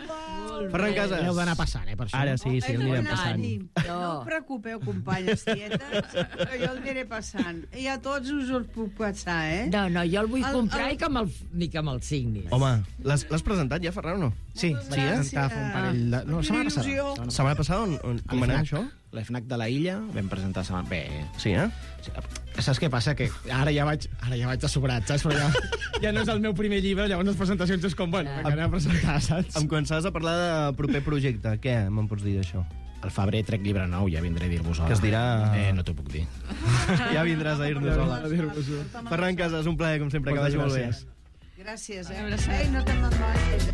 Ferran Casas. Heu d'anar passant, per això. Ara sí, el anirem passant. No us preocupeu, companyes tietes, que jo el aniré passant. I a tots us puc passar, eh? No, jo el vull comprar ni que me'l signis. Home, l'has presentat ja, Ferran, o no? Sí, presentar fa un parell de... No, setmana passada. Setmana passada, com va anar això? L'FNAC de la Illa vam presentar setmana... Bé... Sí, eh? Sí, saps què passa? Que ara ja vaig de sobrat, saps? Però ja no és el meu primer llibre, llavors les presentacions és com, bueno, anem a presentar, saps? Em començaves a parlar de proper projecte. Què me'n pots dir d'això? Al febrer trec llibre nou, ja vindré a dir-vos hola. Que es dirà... No t'ho puc dir. Ja vindràs a dir-nos hola. Ferran Casas, un plaer, com sempre, que vagi molt bé. Gràcies, eh? No te'n vagis.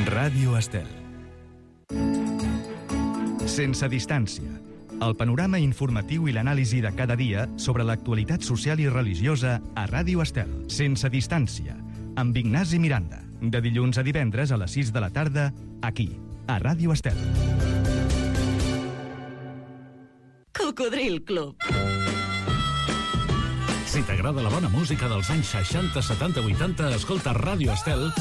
Ràdio Estel. Sense distància. El panorama informatiu i l'anàlisi de cada dia sobre l'actualitat social i religiosa a Ràdio Estel. Sense distància. Amb Ignasi Miranda. De dilluns a divendres a les 6 de la tarda, aquí, a Ràdio Estel. Cocodril Club. Si t'agrada la bona música dels anys 60, 70, 80, escolta Ràdio Estel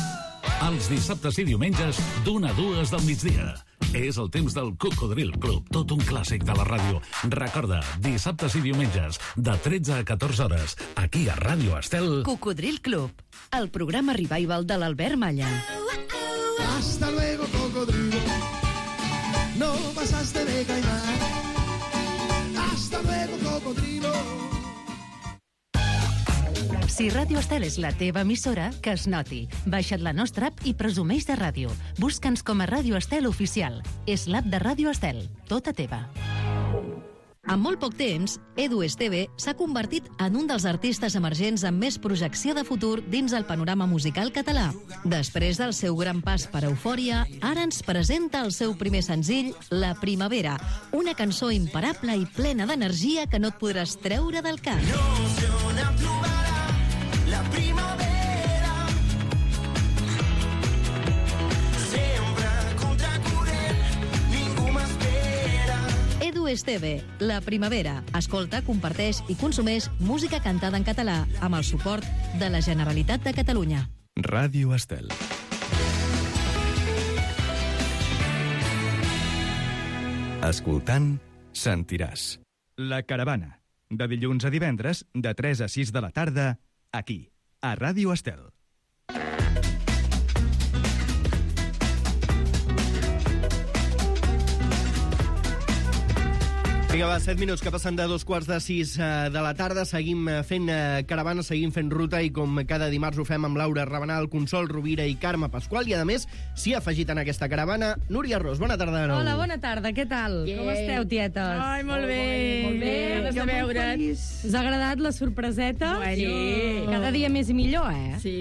els dissabtes i diumenges d'1 a 2 del migdia. És el temps del Cocodril Club, tot un clàssic de la ràdio. Recorda, dissabtes i diumenges, de 13 a 14 hores, aquí a Ràdio Estel. Cocodril Club, el programa revival de l'Albert Malla. Hasta luego, cocodrilo. No pasaste de caimán. Hasta luego, cocodrilo. Si Ràdio Estel és la teva emissora, que es noti. Baixa't la nostra app i presumeix de ràdio. Busca'ns com a Ràdio Estel Oficial. És l'app de Ràdio Estel, tota teva. En molt poc temps, Edu Esteve s'ha convertit en un dels artistes emergents amb més projecció de futur dins el panorama musical català. Després del seu gran pas per Eufòria, ara ens presenta el seu primer senzill, La Primavera, una cançó imparable i plena d'energia que no et podràs treure del cap. La primavera sembra contracorrent, ningú m'espera. Edu Esteve, La Primavera. Escolta, comparteix i consumeix música cantada en català amb el suport de la Generalitat de Catalunya. Ràdio Estel. Escoltant, sentiràs. La Caravana. De dilluns a divendres, de 3 a 6 de la tarda, aquí, a Ràdio Estel. Vinga, va, 7 minuts que passen de 2:45 de la tarda. Seguim fent caravana, seguim fent ruta i com cada dimarts ho fem amb Laura Rabanal, Consol Rovira i Carme Pasqual. I a més, s'hi ha afegit en aquesta caravana Núria Ros. Bona tarda de nou. Hola, bona tarda, què tal? Com esteu, tietes? Ai, molt bé. Molt bé, ganes de veure't. Us ha agradat la sorpreseta? Bueno. Sí. Cada dia més i millor, eh? Sí,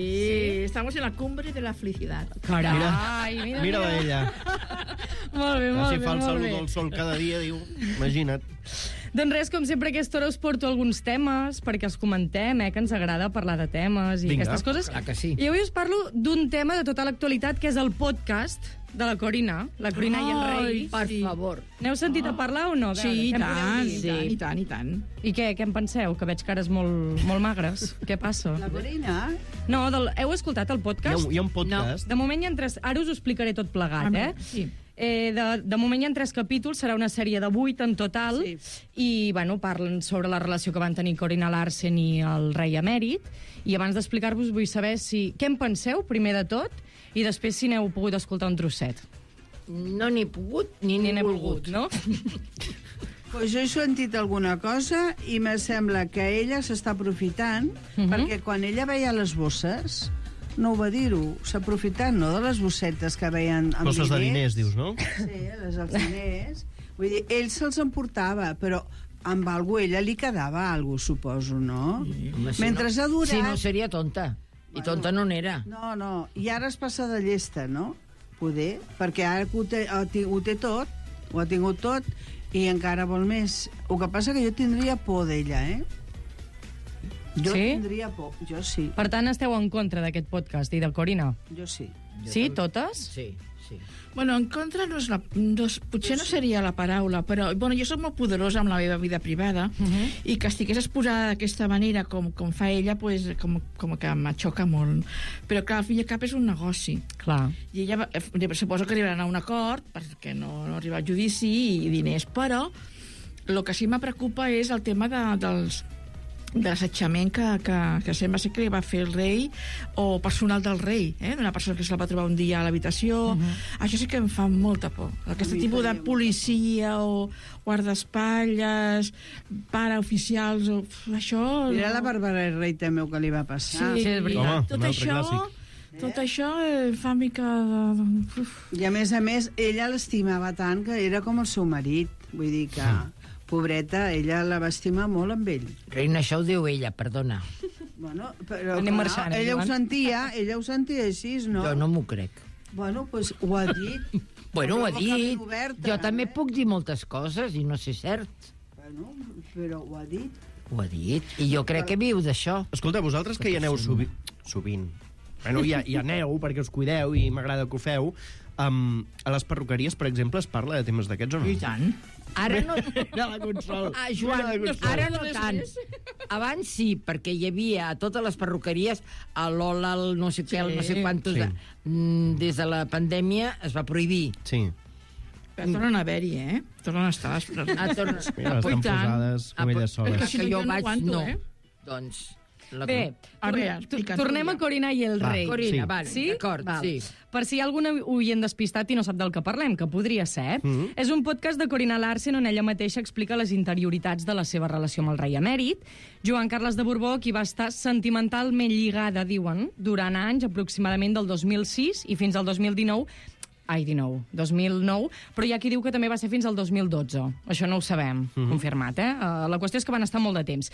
estamos en la cumbre de la felicidad. Carai, Mira-la ella. Molt bé, molt Si bé, fa el molt salut bé. al sol cada dia, diu, imagina't. Doncs res, com sempre a aquesta hora us porto alguns temes perquè els comentem, que ens agrada parlar de temes i Vinga. aquestes coses. Clar que sí. I avui us parlo d'un tema de tota l'actualitat, que és el podcast de la Corina i el Rei. Per favor. N'heu sentit a parlar o no? A veure, Sí, i què em podeu tant, dir? i tant, i tant. I què en penseu? Que veig cares molt magres. Què passa? La Corina? No, heu escoltat el podcast? Hi ha un podcast. De moment hi ha 3... Ara us ho explicaré tot plegat, Sí. De moment hi ha 3 capítols, serà una sèrie de 8 en total, Sí. i bueno, parlen sobre la relació que van tenir Corina Larsen i el rei emèrit, i abans d'explicar-vos vull saber què en penseu, primer de tot, i després si n'heu pogut escoltar un trosset. No n'he pogut ni n'he volgut. no? Pues jo he sentit alguna cosa i me sembla que ella s'està aprofitant, perquè quan ella veia les bosses, no ho va dir-ho, s'ha aprofitat, no?, de les bossetes que veien amb Bosses de diners, dius, no? Sí, les dels diners. Vull dir, ell se'ls emportava, però amb algú ella li quedava algú, suposo, no? Home, Mentre s'ha durat... Si no, seria tonta. I tonta no n'era. No, i ara es passa de llesta, no? Poder, perquè ara que ho té tot, ho ha tingut tot, i encara vol més. El que passa que jo tindria por d'ella, Jo tindria por, jo sí. Per tant, esteu en contra d'aquest podcast i de Corina? Jo sí. Sí, totes? Sí. Bueno, en contra no és potser no seria la paraula, però bueno, jo soc molt poderosa amb la meva vida privada i que estigués exposada d'aquesta manera com fa ella, pues, com que m'aixoca molt. Però clar, al fi i al cap és un negoci. Clar. I ella suposo que arribaran a un acord perquè no arriba al judici i diners, però el que sí me preocupa és el tema de l'assetjament que sembla ser que li va fer el rei o personal del rei, d'una persona que se la va trobar un dia a l'habitació. Això sí que em fa molta por. Aquest tipus de policia o guardaespatlles, paraoficials, això... Mira la Bàrbara Rei també el que li va passar. Sí, és veritat. Home, tot un altre això... clàssic. Tot això fa mica de... I a més, ella l'estimava tant que era com el seu marit. Vull dir que, pobreta, ella la va estimar molt amb ell. Reina, això ho diu ella, perdona. Bueno, però Anem marxant, ella ho Joan. sentia així, no? Jo no m'ho crec. Bueno, doncs ho ha dit. Bueno, ho ha Amb la boca dit. ben oberta, Jo també puc dir moltes coses i no sé cert. Bueno, però ho ha dit. Ho ha dit. I jo crec que viu d'això. Escolta, vosaltres que hi aneu sovint, bueno, hi aneu perquè us cuideu i m'agrada que ho feu, a les perruqueries, per exemple, es parla de temes d'aquests o no? I tant. Ara no... Mira la Consol. Joan, Mira la Consol. ara no tant. Abans sí, perquè hi havia a totes les perruqueries a l'Ola, el no sé què, el no sé quantos... Sí. Des de la pandèmia es va prohibir. Sí. Però tornen a haver-hi, Tornen a estar les Ah, torna... Mira, estan posades com elles soles. Que jo jo no vaig, aguanto, no. eh? Doncs... Bé, A veure, explica't, tornem a Núria. Corina i el rei. Corina, Sí. vale, Sí? d'acord, Val. sí. Per si hi ha algun oient despistat i no sap del que parlem, que podria ser, és un podcast de Corina Larsen on ella mateixa explica les interioritats de la seva relació amb el rei emèrit. Joan Carles de Borbó, qui va estar sentimentalment lligada, diuen, durant anys, aproximadament del 2006 i fins al 2009, però hi ha qui diu que també va ser fins al 2012. Això no ho sabem, confirmat, La qüestió és que van estar molt de temps.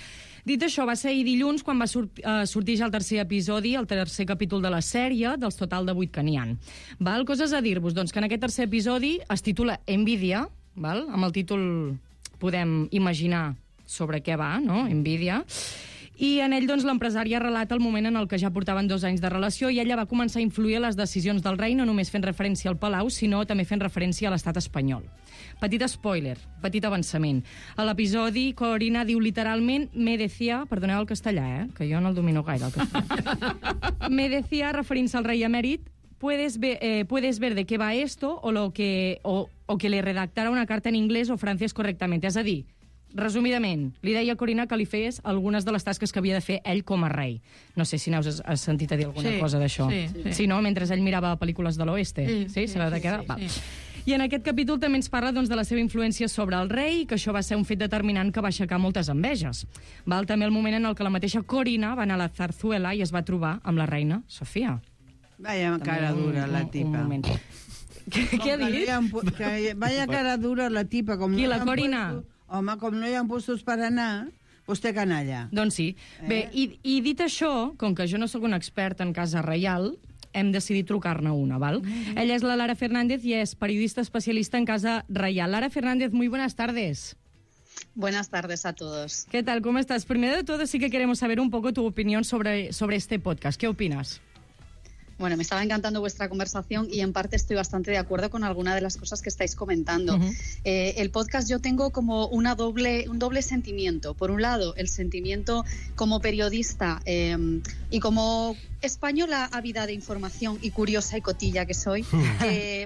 Dit això, va ser ahir dilluns quan va sortir ja el tercer episodi, el tercer capítol de la sèrie, dels total de 8 que n'hi ha. Val? Coses a dir-vos, doncs, que en aquest tercer episodi es titula Envidia, val? Amb el títol podem imaginar sobre què va, no? Envidia. I en ell, doncs, l'empresària relata el moment en el que ja portaven 2 anys de relació i ella va començar a influir a les decisions del rei, no només fent referència al Palau, sinó també fent referència a l'estat espanyol. Petit spoiler, petit avançament. A l'episodi, Corina diu literalment me decía, perdoneu el castellà, que jo no el domino gaire, el castellà. Me decía, referint-se al rei emèrit, puedes ver de qué va esto o que le redactara una carta en inglés o francès correctament. És a dir, resumidament, li deia a Corina que li fes algunes de les tasques que havia de fer ell com a rei. No sé si n'has sentit a dir alguna cosa d'això. Sí. Sí, no? Mentre ell mirava pel·lícules de l'oeste. Sí, Sabeu de què? sí. I en aquest capítol també ens parla doncs, de la seva influència sobre el rei, que això va ser un fet determinant que va aixecar moltes enveges. Val també el moment en el que la mateixa Corina va anar a la Zarzuela i es va trobar amb la reina Sofia. Vaya cara dura, la tipa. Què ha dit? Vaya cara dura, la tipa. Qui, la Corina? Home, com no hi ha puestos per anar, vostè canalla. Doncs sí. Bé, i dit això, com que jo no sóc un expert en casa reial, hem decidit trucar-ne una, ¿val? Ella es la Lara Fernández y es periodista especialista en Casa Real. Lara Fernández, muy buenas tardes. Buenas tardes a todos. ¿Qué tal? ¿Cómo estás? Primero de todo, sí que queremos saber un poco tu opinión sobre este podcast. ¿Qué opinas? Bueno, me estaba encantando vuestra conversación y en parte estoy bastante de acuerdo con alguna de las cosas que estáis comentando. El podcast yo tengo como un doble sentimiento. Por un lado, el sentimiento como periodista y como española ávida de información y curiosa y cotilla que soy,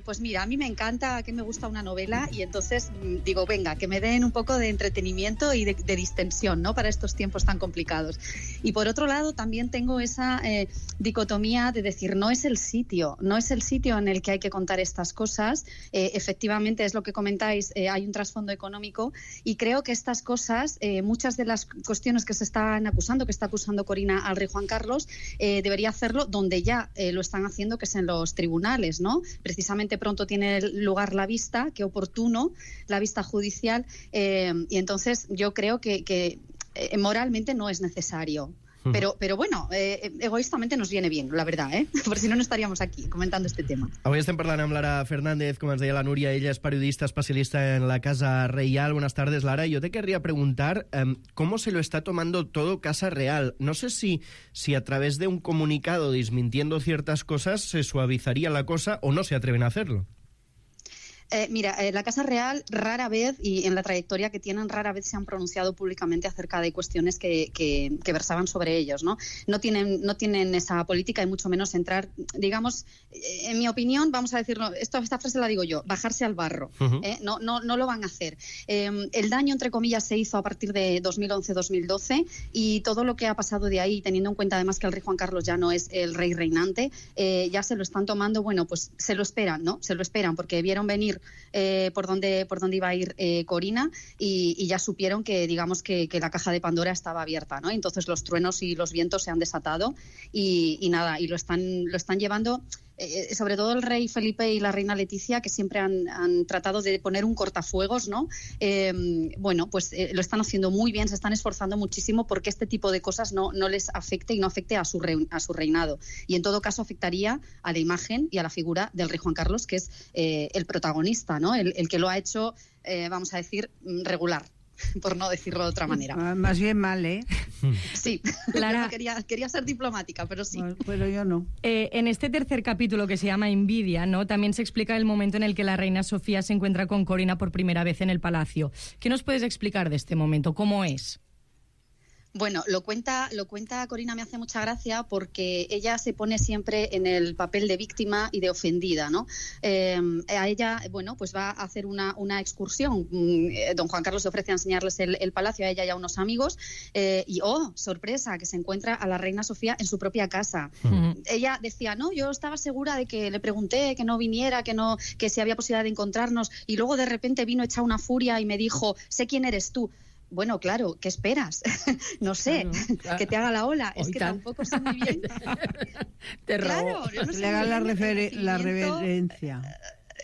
pues mira, a mí me encanta, que me gusta una novela y entonces digo, venga, que me den un poco de entretenimiento y de distensión, ¿no? Para estos tiempos tan complicados. Y por otro lado, también tengo esa dicotomía de decir, no es el sitio en el que hay que contar estas cosas. Efectivamente, es lo que comentáis, hay un trasfondo económico y creo que estas cosas, muchas de las cuestiones que se están acusando, que está acusando Corina al rey Juan Carlos, debería hacerlo donde ya lo están haciendo, que es en los tribunales, ¿no? Precisamente pronto tiene lugar la vista, qué oportuno, la vista judicial, y entonces yo creo que moralmente no es necesario. Pero bueno, egoístamente nos viene bien, la verdad, Por si no, no estaríamos aquí comentando este tema. Avui estem parlant amb Lara Fernández, como ens deia la Núria, ella es periodista especialista en la Casa Real. Buenas tardes, Lara. Yo te querría preguntar cómo se lo está tomando todo Casa Real. No sé si a través de un comunicado desmintiendo ciertas cosas se suavizaría la cosa o no se atreven a hacerlo. Mira, la Casa Real rara vez, y en la trayectoria que tienen, rara vez se han pronunciado públicamente acerca de cuestiones que versaban sobre ellos, ¿no? No tienen esa política y mucho menos entrar, digamos, en mi opinión, vamos a decirlo, esta frase la digo yo, bajarse al barro. No lo van a hacer. El daño, entre comillas, se hizo a partir de 2011-2012 y todo lo que ha pasado de ahí, teniendo en cuenta además que el rey Juan Carlos ya no es el rey reinante, ya se lo están tomando, bueno, pues se lo esperan, ¿no? Se lo esperan porque vieron venir por dónde iba a ir Corina y ya supieron que, digamos, que la caja de Pandora estaba abierta, ¿no? Entonces los truenos y los vientos se han desatado y nada, y lo están llevando, sobre todo el rey Felipe y la reina Leticia, que siempre han tratado de poner un cortafuegos, ¿no? Bueno, pues lo están haciendo muy bien, se están esforzando muchísimo porque este tipo de cosas no les afecte y no afecte a su reinado. Y en todo caso afectaría a la imagen y a la figura del rey Juan Carlos, que es el protagonista, ¿no? El que lo ha hecho, vamos a decir, regular, por no decirlo de otra manera. Más bien mal, ¿eh? Sí, Lara, quería ser diplomática, pero sí. Pero yo no. En este tercer capítulo, que se llama Envidia, ¿no? También se explica el momento en el que la reina Sofía se encuentra con Corina por primera vez en el palacio. ¿Qué nos puedes explicar de este momento? ¿Cómo es? Bueno, lo cuenta Corina, me hace mucha gracia porque ella se pone siempre en el papel de víctima y de ofendida, ¿no? A ella, bueno, pues va a hacer una excursión. Don Juan Carlos se ofrece a enseñarles el palacio a ella y a unos amigos y, ¡oh, sorpresa!, que se encuentra a la reina Sofía en su propia casa. Ella decía, no, yo estaba segura de que le pregunté que no viniera, que si había posibilidad de encontrarnos, y luego de repente vino hecha una furia y me dijo, sé quién eres tú. Bueno, claro, ¿qué esperas? No sé, claro. Que te haga la ola. Es que tampoco sé muy bien. Claro, yo no sé le haga la reverencia.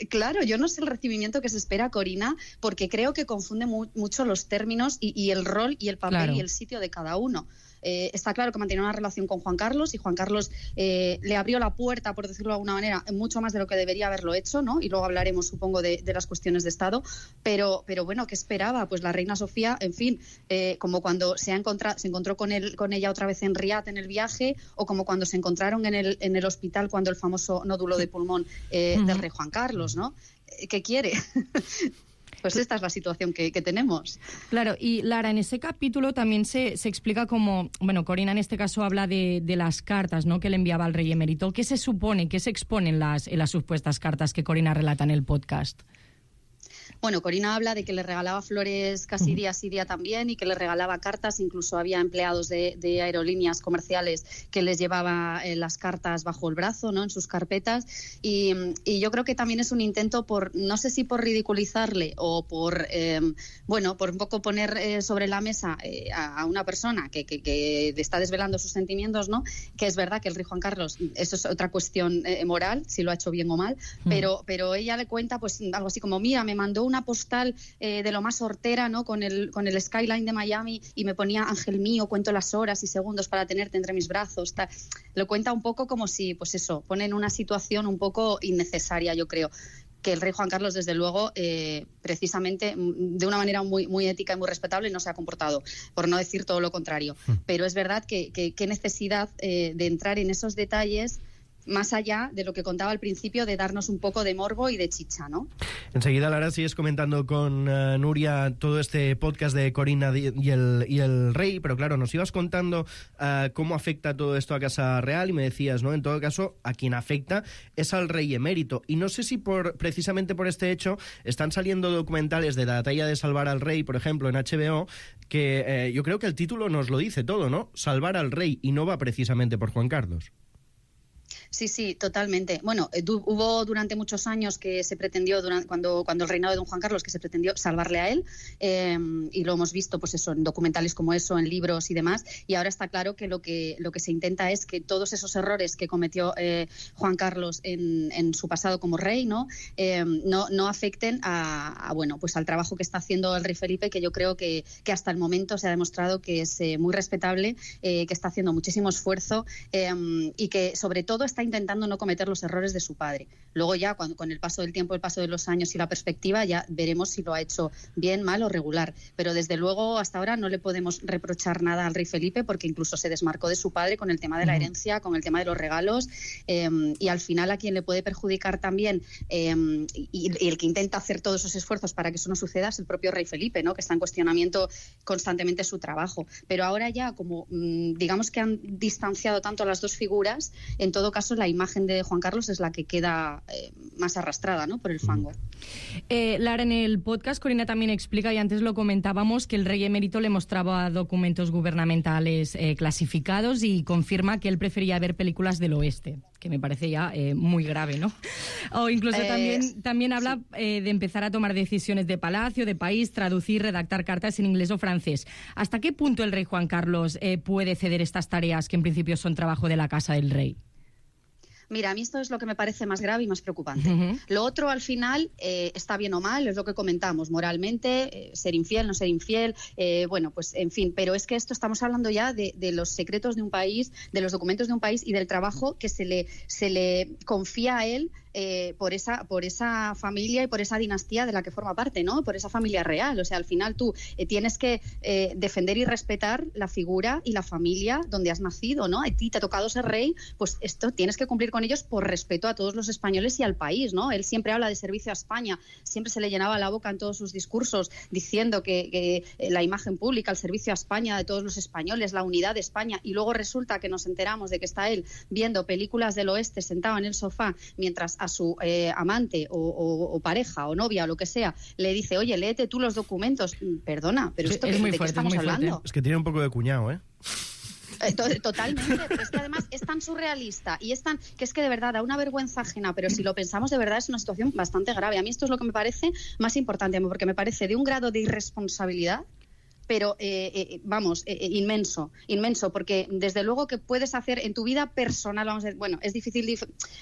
Claro, yo no sé el recibimiento que se espera a Corina porque creo que confunde mucho los términos y el rol y el papel y el sitio de cada uno. Está claro que mantenía una relación con Juan Carlos y Juan Carlos le abrió la puerta, por decirlo de alguna manera, mucho más de lo que debería haberlo hecho, ¿no? Y luego hablaremos, supongo, de las cuestiones de Estado. Pero bueno, ¿qué esperaba? Pues la reina Sofía, en fin, como cuando se encontró con ella otra vez en Riad en el viaje, o como cuando se encontraron en el hospital cuando el famoso nódulo de pulmón del rey Juan Carlos, ¿no? ¿Qué quiere? Pues esta es la situación que tenemos. Claro, y Lara, en ese capítulo también se explica como, bueno, Corina en este caso habla de las cartas, ¿no?, que le enviaba al rey emérito. ¿Qué se supone, qué se expone en las supuestas cartas que Corina relata en el podcast? Bueno, Corina habla de que le regalaba flores casi día sí día también y que le regalaba cartas, incluso había empleados de aerolíneas comerciales que les llevaba las cartas bajo el brazo, ¿no? En sus carpetas y yo creo que también es un intento por, no sé si por ridiculizarle o por, por un poco poner sobre la mesa a una persona que está desvelando sus sentimientos, ¿no? Que es verdad que el rey Juan Carlos, eso es otra cuestión moral, si lo ha hecho bien o mal, pero ella le cuenta pues algo así como, mira, me mandó una postal de lo más hortera, ¿no? Con el skyline de Miami y me ponía ángel mío, cuento las horas y segundos para tenerte entre mis brazos. Lo cuenta un poco como si, pues eso, pone en una situación un poco innecesaria, yo creo. Que el rey Juan Carlos, desde luego, precisamente de una manera muy, muy ética y muy respetable no se ha comportado, por no decir todo lo contrario. Pero es verdad que necesidad de entrar en esos detalles más allá de lo que contaba al principio, de darnos un poco de morbo y de chicha, ¿no? Enseguida, Lara, sigues comentando con Nuria todo este podcast de Corina y el rey, pero claro, nos ibas contando cómo afecta todo esto a Casa Real y me decías, ¿no? En todo caso, a quien afecta es al rey emérito. Y no sé si precisamente por este hecho están saliendo documentales de la talla de Salvar al Rey, por ejemplo, en HBO, que yo creo que el título nos lo dice todo, ¿no? Salvar al rey, y no va precisamente por Juan Carlos. Sí, totalmente. Bueno, hubo durante muchos años que se pretendió, cuando el reinado de don Juan Carlos, que se pretendió salvarle a él, y lo hemos visto pues eso, en documentales como eso, en libros y demás, y ahora está claro que lo que se intenta es que todos esos errores que cometió Juan Carlos en su pasado como rey, no afecten pues al trabajo que está haciendo el rey Felipe, que yo creo que hasta el momento se ha demostrado que es muy respetable, que está haciendo muchísimo esfuerzo y que sobre todo está intentando no cometer los errores de su padre. Luego ya, con el paso del tiempo, el paso de los años y la perspectiva, ya veremos si lo ha hecho bien, mal o regular. Pero desde luego, hasta ahora no le podemos reprochar nada al rey Felipe, porque incluso se desmarcó de su padre con el tema de la herencia, con el tema de los regalos, y al final a quien le puede perjudicar también, y el que intenta hacer todos esos esfuerzos para que eso no suceda, es el propio rey Felipe, ¿no? Que está en cuestionamiento constantemente su trabajo. Pero ahora ya, como digamos que han distanciado tanto a las dos figuras, en todo caso la imagen de Juan Carlos es la que queda más arrastrada, ¿no? Por el fango. Lara, en el podcast Corina también explica, y antes lo comentábamos, que el rey emérito le mostraba documentos gubernamentales clasificados y confirma que él prefería ver películas del oeste, que me parece ya muy grave, ¿no? O incluso también habla de empezar a tomar decisiones de palacio, de país, traducir, redactar cartas en inglés o francés. ¿Hasta qué punto el rey Juan Carlos puede ceder estas tareas que en principio son trabajo de la casa del rey? Mira, a mí esto es lo que me parece más grave y más preocupante. Lo otro, al final, está bien o mal, es lo que comentamos, moralmente, ser infiel, no ser infiel, pues en fin, pero es que esto estamos hablando ya de los secretos de un país, de los documentos de un país y del trabajo que se le confía a él por esa familia y por esa dinastía de la que forma parte, ¿no? Por esa familia real. O sea, al final tú tienes que defender y respetar la figura y la familia donde has nacido, ¿no? A ti te ha tocado ser rey, pues esto tienes que cumplir con ellos por respeto a todos los españoles y al país, ¿no? Él siempre habla de servicio a España, siempre se le llenaba la boca en todos sus discursos diciendo que la imagen pública, el servicio a España de todos los españoles, la unidad de España, y luego resulta que nos enteramos de que está él viendo películas del oeste sentado en el sofá mientras a su amante o pareja o novia o lo que sea le dice, oye, léete tú los documentos. Perdona, pero esto ¿de qué estamos hablando? Es que tiene un poco de cuñado, ¿eh? Totalmente, pero es que además es tan surrealista y que es que de verdad da una vergüenza ajena, pero si lo pensamos de verdad es una situación bastante grave. A mí esto es lo que me parece más importante, porque me parece de un grado de irresponsabilidad, pero inmenso, porque desde luego que puedes hacer en tu vida personal, vamos a decir, bueno, es difícil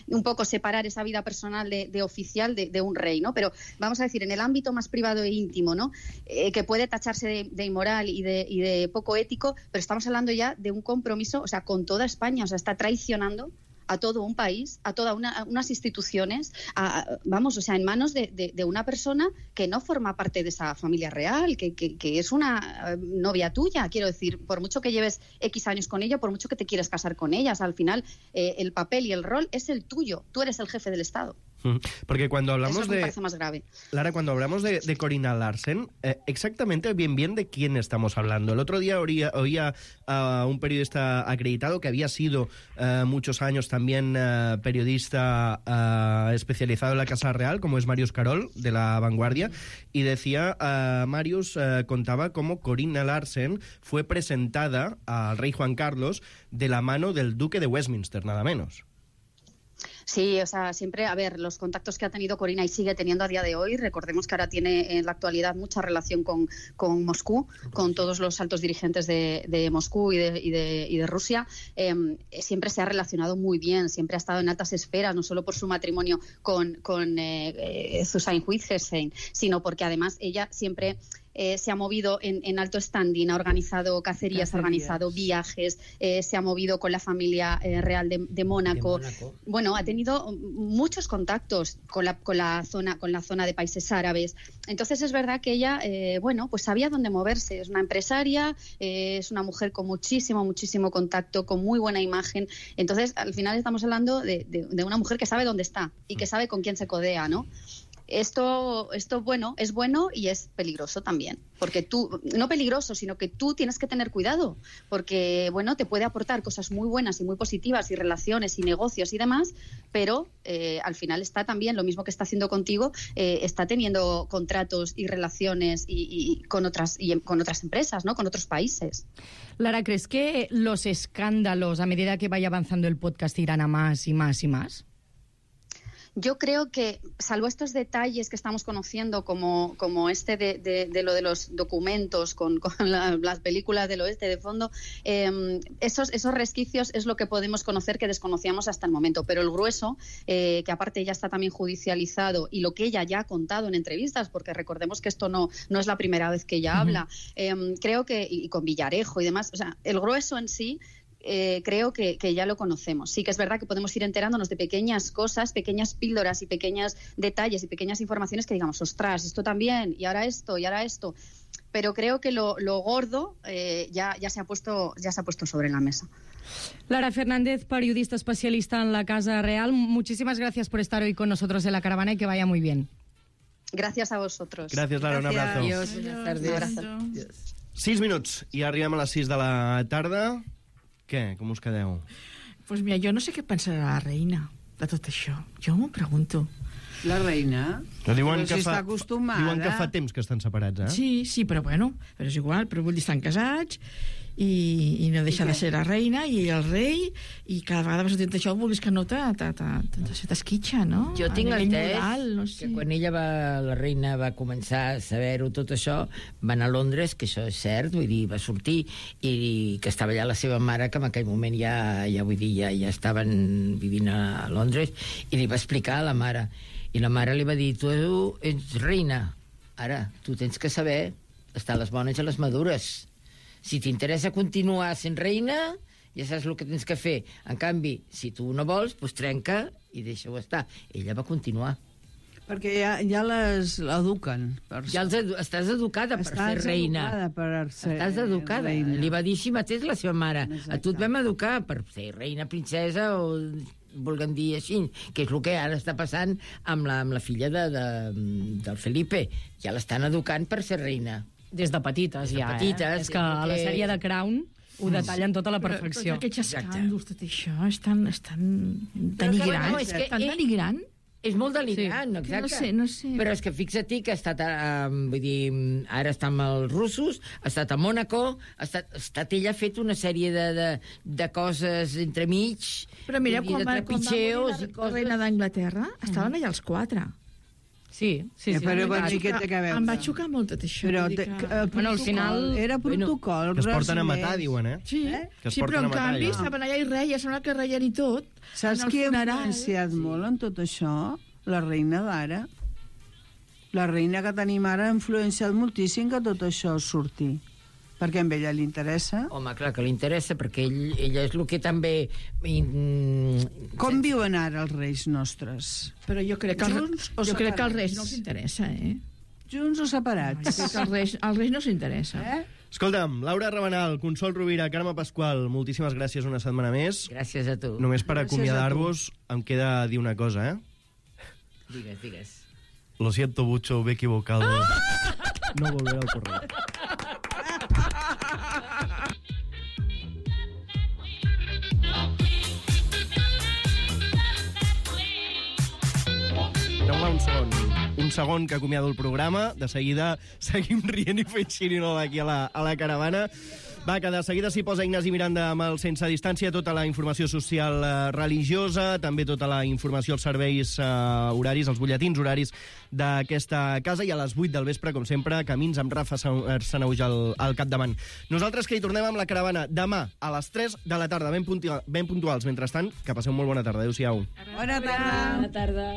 un poco separar esa vida personal de oficial de un rey, ¿no? Pero vamos a decir, en el ámbito más privado e íntimo, ¿no? Que puede tacharse de inmoral y de poco ético, pero estamos hablando ya de un compromiso, o sea, con toda España, o sea, está traicionando a todo un país, a todas unas instituciones, en manos de una persona que no forma parte de esa familia real, que es una novia tuya. Quiero decir, por mucho que lleves X años con ella, por mucho que te quieras casar con ellas, al final el papel y el rol es el tuyo. Tú eres el jefe del Estado. Porque cuando hablamos Eso me parece más grave. Lara, cuando hablamos de Corina Larsen, exactamente bien de quién estamos hablando. El otro día oía a un periodista acreditado que había sido muchos años también periodista especializado en la Casa Real, como es Marius Carol, de La Vanguardia, y decía, Marius contaba cómo Corina Larsen fue presentada al rey Juan Carlos de la mano del duque de Westminster, nada menos. Sí, o sea, siempre, a ver, los contactos que ha tenido Corina y sigue teniendo a día de hoy, recordemos que ahora tiene en la actualidad mucha relación con Moscú, con todos los altos dirigentes de Moscú y de Rusia, siempre se ha relacionado muy bien, siempre ha estado en altas esferas, no solo por su matrimonio con Susanne Wittgenstein, sino porque además ella siempre... se ha movido en alto standing, ha organizado cacerías, ha organizado viajes, se ha movido con la familia real de Mónaco. Bueno, ha tenido muchos contactos con la zona de países árabes. Entonces es verdad que ella, pues sabía dónde moverse. Es una empresaria, es una mujer con muchísimo contacto, con muy buena imagen. Entonces, al final estamos hablando de una mujer que sabe dónde está y que sabe con quién se codea, ¿no? Esto bueno, es bueno y es peligroso también, porque tú, no peligroso, sino que tú tienes que tener cuidado, porque, bueno, te puede aportar cosas muy buenas y muy positivas y relaciones y negocios y demás, pero al final está también, lo mismo que está haciendo contigo, está teniendo contratos y relaciones y con otras empresas, ¿no? Con otros países. Lara, ¿crees que los escándalos, a medida que vaya avanzando el podcast, irán a más y más y más? Yo creo que, salvo estos detalles que estamos conociendo, como este de lo de los documentos con las películas del oeste de fondo, esos resquicios es lo que podemos conocer que desconocíamos hasta el momento. Pero el grueso, que aparte ya está también judicializado, y lo que ella ya ha contado en entrevistas, porque recordemos que esto no es la primera vez que ella habla, creo que, y con Villarejo y demás, o sea, el grueso en sí, creo que ya lo conocemos. Sí que es verdad que podemos ir enterándonos de pequeñas cosas, pequeñas píldoras y pequeños detalles y pequeñas informaciones que digamos, ostras, esto también, y ahora esto, pero creo que lo gordo ya se ha puesto sobre la mesa. Lara Fernández, periodista especialista en la Casa Real, muchísimas gracias por estar hoy con nosotros en La Caravana y que vaya muy bien. Gracias a vosotros. Gracias, Lara, un abrazo. Adiós, buenas tardes. 6 minuts i arribem a les 6 de la tarda. Què? Com us quedeu? Pues mira, jo no sé què pensarà la reina de tot això. Jo m'ho pregunto. La reina? Diuen si està acostumada. Diuen que fa temps que estan separats, eh? Sí, però bueno, però és igual, però vull dir, estan casats i no deixa de ser la reina i el rei, i cada vegada que sortint això vulguis que no t'esquitxa, no? Jo tinc entès no sé. que quan la reina va començar a saber-ho tot això, va anar a Londres, que això és cert, vull dir, va sortir, i que estava allà la seva mare, que en aquell moment ja estaven vivint a Londres, i li va explicar a la mare. I la mare li va dir, tu ets reina, ara, tu tens que saber estar a les bones i a les madures. Si t'interessa continuar sent reina, ja saps el que tens que fer. En canvi, si tu no vols, doncs trenca i deixa-ho estar. Ella va continuar. Perquè ja les eduquen. Ja estàs educada per ser reina. Estàs educada. Li va dir així mateix la seva mare. A tu et vam educar per ser reina, princesa o vulguem dir així, que és el que ara està passant amb la filla del Felipe. Ja l'estan educant per ser reina. Des de petites, ja. És que a la sèrie de Crown ho detallen tota la perfecció. Però aquests escàndols, tot això, és tan denigrant. És tan denigrant. És molt delicat, exacte. No sé. Però és que fixa-t'hi que ha estat, vull dir, ara està amb els russos, ha estat a Mònaco, ha estat ella ha fet una sèrie de coses entremig. Però mira, quan va morir la reina d'Anglaterra, estaven allà els 4. Sí. Però què té a veure? Em va xocar molt tot això. Però al final era protocol. Que es porten a matar, diuen, eh? Sí, però en canvi estaven allà i reia, sembla que reien i tot. Saps qui ha influenciat molt en tot això? La reina d'ara. La reina que tenim ara ha influenciat moltíssim que tot això surti. Perquè a ella li interessa. Home, clar que li interessa, perquè ella és el que també... Com viuen ara els reis nostres? Però jo crec que als reis no els interessa, eh? Junts o separats? Jo crec que als reis no s'interessa. Escolta'm, Laura Rabanal, Consol Rovira, Carme Pasqual, moltíssimes gràcies una setmana més. Gràcies a tu. Només per acomiadar-vos em queda dir una cosa, Digues. Lo siento mucho, me he equivocado. No volveré al correo. Un segon que acomiado el programa. De seguida seguim rient i fent xirinola aquí a la caravana. Va, que de seguida s'hi posa Ignasi Miranda amb el Sense Distància, tota la informació social religiosa, també tota la informació als serveis horaris, els butlletins horaris d'aquesta casa, i a les 8 del vespre, com sempre, Camins amb Rafa Sanauja al capdavant. Nosaltres que hi tornem amb la caravana demà a les 3 de la tarda, ben puntuals. Mentrestant, que passeu molt bona tarda. Adéu-siau. Bona tarda. Bona tarda.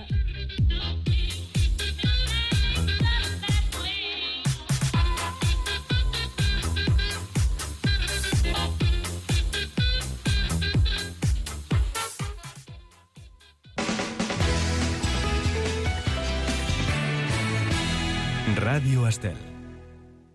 Ràdio Estel.